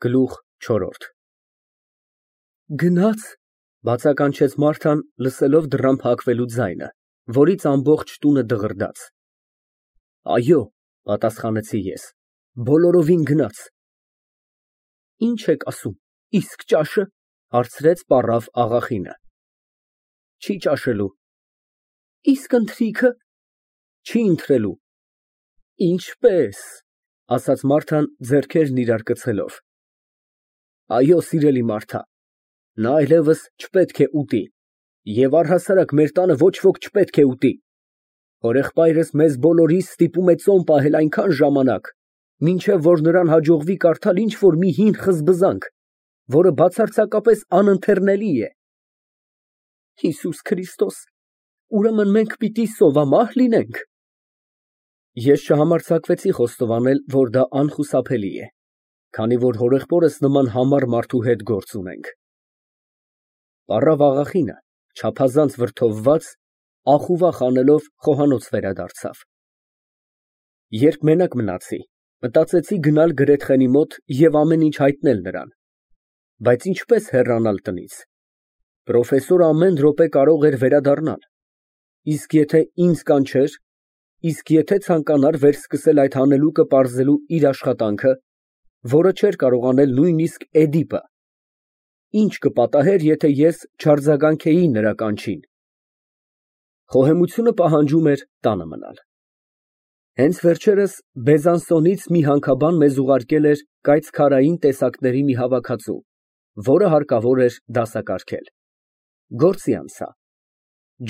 Գլուխ չորրորդ Գնա՞ց, բացականչեց Մարթան, լսելով դռան փակվելու ձայնը, որից ամբողջ տունը դղրդաց։ Այո, պատասխանեցի ես, բոլորովին գնաց։ Ինչ եք ասում, իսկ ճաշը, հարցրեց պառավ աղախինը։ Չի ճաշելու։ Իսկ ընթրիքը։ Չի ընթրելու։ Ինչպես, ասաց Մարթան ձեռքերն իրար կցելով։ Այո, սիրելի Մարթա, նա այլևս չպետք է ուտի, և առհասարակ մեր տանը ոչ ոք չպետք է ուտի։ Հորեղբայրս մեզ բոլորիս ստիպում է ծոմ պահել այնքան ժամանակ, մինչև որ նրան հաջողվի կարդալ ինչ֊որ մի հին խզբզանք, որը բացարձակապես անընթեռնելի է։ Հիսուս Քրիստոս, ուրեմն մենք պիտի սովամահ լինենք։ Ես չհամարձակվեցի խոստովանել, որ դա անխուսափելի է, քանի որ հորեղբորս նման համառ մարդու հետ գործ ունենք։ Պառավ աղախինը, չափազանց վրդովված, ախուվախ անելով խոհանոց վերադարձավ։ Երբ մենակ մնացի, մտածեցի գնալ Գրեթխենի մոտ և ամեն ինչ հայտնել նրան, բայց ինչպես հեռանալ տնից։ Պրոֆեսորը ամեն րոպե կարող էր վերադառնալ, իսկ եթե ինձ կանչեր, իսկ եթե ցանկանար վերսկսել այդ հանելուկը պարզելու իր աշխատանքը, որը չէր կարող անել նույնիսկ Էդիպը, ինչ կպատահեր, եթե ես չարձագանքեի նրա կանչին։ Խոհեմությունը պահանջում էր տանը մնալ։ Հենց վերջերս Բեզանսոնից մի հանքաբան մեզ ուղարկել էր կայծքարային տեսակների մի հավաքածու, որը հարկավոր էր դասակարգել։ Գործի անցա։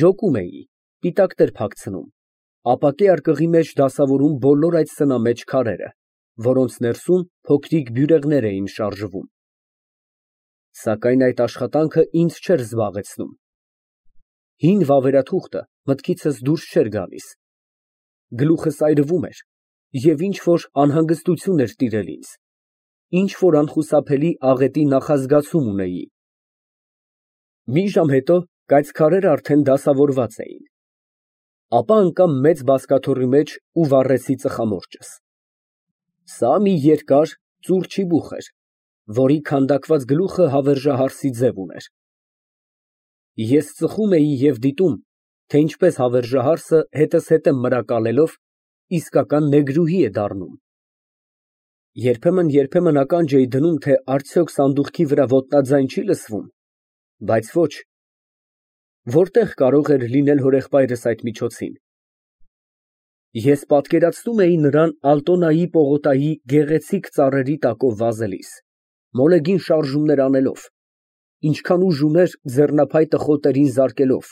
Ջոկում էի, պիտակներ փակցնում, ապակե արկղի մեջ դասավորում բոլոր այդ սնամեջ քարերը, որոնց ներսում փոքրիկ բյուրեղներ էին շարժվում։ Սակայն այդ աշխատանքը ինձ չէր զբաղեցնում։ Հին վավերաթուղթը մտքիցս դուրս չէր գալիս։ Գլուխս այրվում էր, և ինչ֊որ անհանգստություն էր տիրել ինձ, ինչ֊որ անխուսափելի աղետի նախազգացում ունեի։ Մի ժամ հետո կայծքարերը արդեն դասավորված էին։ Ապա ընկա մեծ բազկաթոռի մեջ ու վառեցի ծխամորճս։ Սա մի երկար ծուռ չիբուխ էր, որի քանդակված գլուխը հավերժահարսի ձև ուներ։ Ես ծխում էի և դիտում, թե ինչպես հավերժահարսը հետզհետե մրակալելով իսկական նեգրուհի է դառնում։ Երբեմն ականջ էի դնում, թե արդյոք սանդուղքի վրա ոտնաձայն չի լսվում, բայց ոչ։ Որտե՞ղ կարող էր լինել հորեղբայրս այդ միջոցին։ Ես պատկերացնում էի նրան Ալտոնայի պողոտայի գեղեցիկ ծառերի տակով վազելիս, մոլեգին շարժումներ անելով, ինչքան ուժ ուներ ձեռնափայտը խոտերին զարկելով,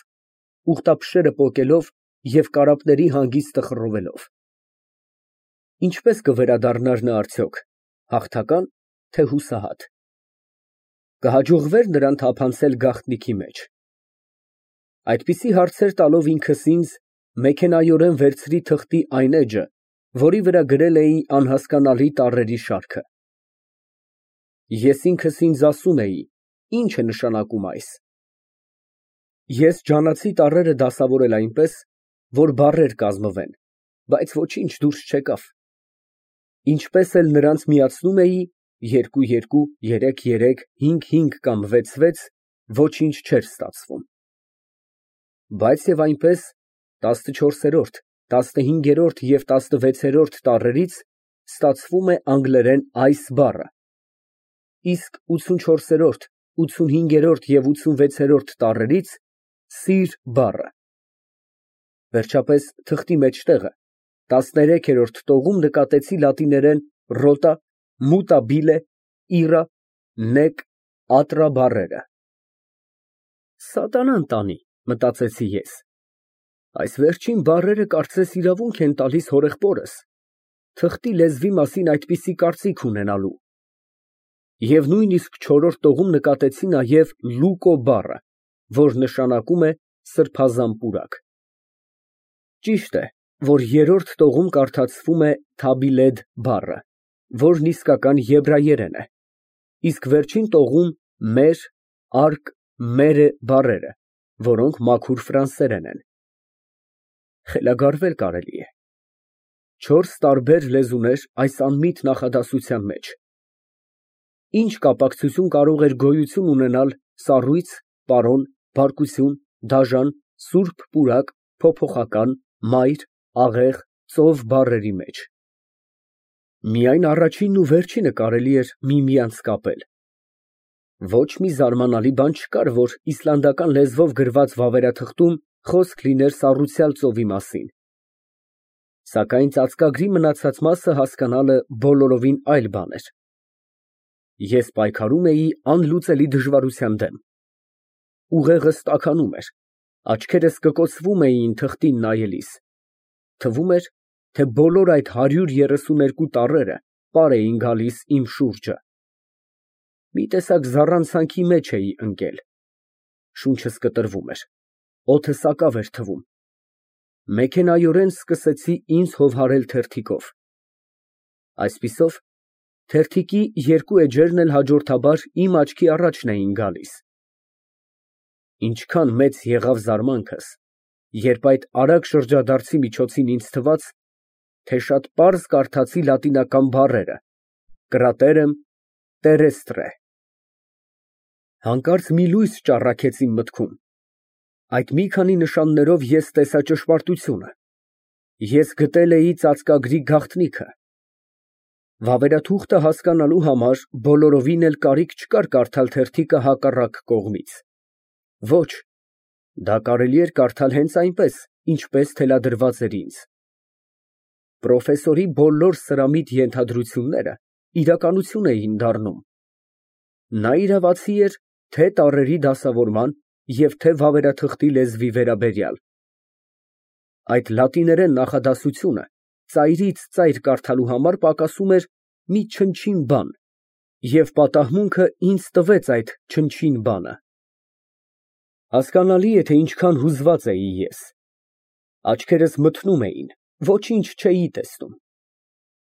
ուղտափշերը պոկելով և կարապների հանգիստը խռովելով։ Ինչպե՞ս կվերադառնար նա արդյոք, հաղթակա՞ն, թե հուսահատ։ Կհաջողվե՞ր նրան թափանցել գաղտնիքի մեջ։ Այդպիսի հարցեր տալով ինքս ինձ, մեքենայորեն վերցրի թղթի այն էջը, որի վրա գրել էի անհասկանալի տառերի շարքը։ Ես ինքս ինձ ասում էի. ինչ է նշանակում այս։ Ես ջանացի տառերը դասավորել այնպես, որ բառեր կազմվեն, բայց ոչինչ դուրս չեկավ։ Ինչպես էլ նրանց միացնում էի, 2-2, 3-3, 5-5 կամ 6-6, ոչինչ չէր ստացվում։ Բայց և այնպես 14-րդ, 15-րդ և 16-րդ տառերից ստացվում է անգլերեն այս բառը, իսկ 84-րդ, 85-րդ և 86-րդ տառերից սիր բառը։ Վերջապես թղթի մեջտեղը 13-րդ տողում նկատեցի լատիներեն ռոտա, մուտա բիլե, իռա, նեկ, ատրա բառերը։ Սատանան տանի, մտածեցի ես, այս վերջին բառերը կարծես իրավունք են տալիս հորեղբորս թղթի լեզվի մասին այդպիսի կարծիք ունենալու։ Եվ նույնիսկ չորրորդ տողում նկատեցի նաև լուկո բառը, որ նշանակում է սրբազան պուրակ։ Ճիշտ է, որ երրորդ տողում կարդացվում է թաբիլեդ բառը, որն իսկական եբրայերեն է, իսկ վերջին տողում մեր, արկ, մերը բառերը, որոնք մաքուր ֆրանսերեն են։ Խելագարվել կարելի է։ 4 տարբեր լեզուներ այս անմիտ նախադասության մեջ։ Ինչ կապակցություն կարող էր գոյություն ունենալ սառույց, պարոն, բարկություն, դաժան, սուրբ պուրակ, փոփոխական, մայր, աղեղ, ծով բառերի մեջ։ Միայն առաջինն ու վերջինը կարելի էր միմյանց կապել։ Ոչ մի զարմանալի բան չկար, որ իսլանդական լեզվով գրված վավերաթղթում խոսք լիներ սառույցյալ ծովի մասին։ Սակայն ծածկագրի մնացած մասը հասկանալը բոլորովին այլ բան էր։ Ես պայքարում էի անլուծելի դժվարության դեմ։ Ուղեղս տաքանում էր, աչքերս կկոցվում էին թղթին նայելիս։ Թվում էր, թե բոլոր այդ 132 տառերը պար էին գալիս իմ շուրջը։ Մի տեսակ զառանցանքի մեջ էի ընկել։ Շունչս կտրվում էր, օդը սակավ էր թվում։ Մեքենայորեն սկսեցի ինձ հովհարել թերթիկով։ Այսպիսով, թերթիկի երկու էջերն էլ հաջորդաբար իմ աչքի առաջն էին գալիս։ Ինչքան մեծ եղավ զարմանքս, երբ այդ արագ շրջադարձի միջոցին ինձ թվաց, թե շատ պարզ կարդացի լատինական բառերը կրատերեմ տերեստրե։ Հանկարծ մի լույս ճառագեց իմ մտքում։ Այդ մի քանի նշաններով ես տեսա ճշմարտությունը։ Ես գտել էի ծածկագրի գաղտնիքը։ Վավերաթուղթը հասկանալու համար բոլորովին էլ կարիք չկար կարդալ թերթիկը հակառակ կողմից։ Ոչ, դա կարելի էր կարդալ հենց այնպես, ինչպես թելադրված էր ինձ։ Պրոֆեսորի բոլոր սրամիտ ենթադրությունները իրականություն էին դառնում։ Նա իրավացի էր թե տառերի դասավորման և թե վավերաթղթի լեզվի վերաբերյալ։ Այդ լատիներեն նախադասությունը ծայրից ծայր կարդալու համար պակասում էր մի չնչին բան, և պատահմունքը ինձ տվեց այդ չնչին բանը։ Հասկանալի է, թե ինչքան հուզված էի ես։ Աչքերս մթնում էին, ոչինչ չէի տեսնում։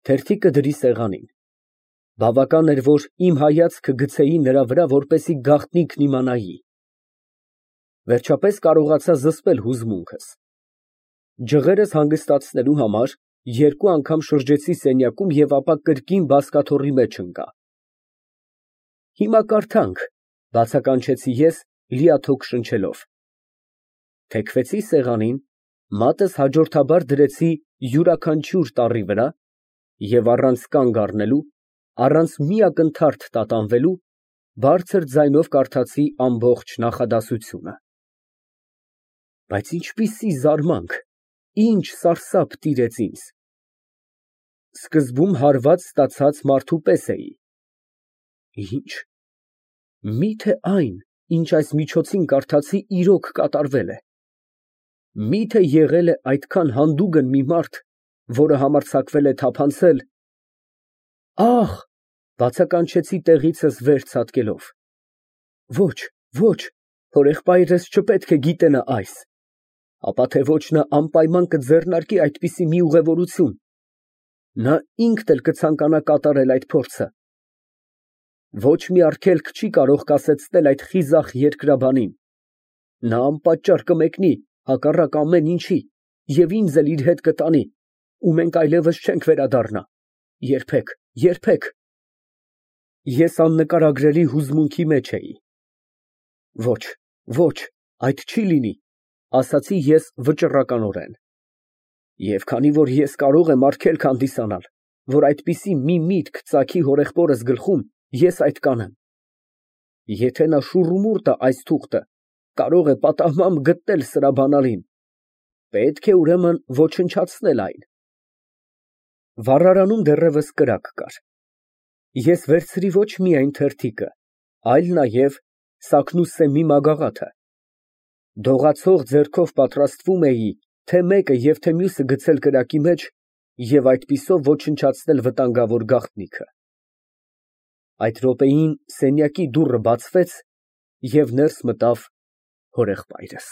Թերթիկը դրի սեղանին։ Բավական էր, որ իմ հայացքը գցեի նրա վրա, որպեսզի գաղտնիքն իմանայի։ Վերջապես կարողացա զսպել հուզմունքս։ Ջղերս հանգստացնելու համար երկու անգամ շրջեցի սենյակում և ապա կրկին բազկաթոռի մեջ ընկա։ Հիմա կարդանք, բացականչեցի ես, լիաթոք շնչելով։ Թեքվեցի սեղանին, մատս հաջորդաբար դրեցի յուրաքանչյուր տառի վրա և առանց կանգ առնելու, առանց մի ակնթարթ տատանվելու, բարձր ձայնով կարդացի ամբողջ նախադասությունը։ Բայց ինչպիսի զարմանք, ինչ սարսափ տիրեց ինձ։ Սկզբում հարված ստացած մարդու պես էի։ Ինչ, միթե այն, ինչ այս միջոցին կարդացի, իրոք կատարվել է։ Միթե եղել է այդքան հանդուգն մի մարդ, որը համարձակվել է թափանցել… Ահ, բացականչեցի տեղիցս վեր ցատկելով։ Ոչ, ոչ, հորեղբայրս չպետք է գիտենա այս, ապա թե ոչ նա անպայման կձեռնարկի այդպիսի մի ուղևորություն, նա ինքն էլ կցանկանա կատարել այդ փորձը։ Ոչ մի արգելք չի կարող կասեցնել այդ խիզախ երկրաբանին, նա անպատճառ կմեկնի հակառակ ամեն ինչի և ինձ էլ իր հետ կտանի, ու մենք այլևս չենք վերադառնա, երբեք, երբեք։ Ես աննկարագրելի հուզմունքի մեջ էի։ Ոչ, ոչ, այդ չի լինի, ասացի ես վճռականորեն։ Եվ քանի որ ես կարող եմ արգելք հանդիսանալ, որ այդպիսի մի միտք ծագի հորեղբորս գլխում, ես այդ կանեմ։ Եթե նա շուռումուռ տա այս թուղթը, կարող է պատահմամբ գտնել սրա բանալին, պետք է ուրեմն ոչնչացնել այն։ Վառարանում դեռևս կրակ կար։ Ես վերցրի ոչ միայն թերթիկը, այլ նաև սակնուսեմի մագաղաթը։ Դողացող ձեռքով պատրաստվում էի թե մեկը և թե մյուսը գցել կրակի մեջ և այդպիսով ոչնչացնել վտանգավոր գաղտնիքը։ Այդ րոպեին սենյակի դուռը բացվեց և ներս մտավ հորեղբայրս։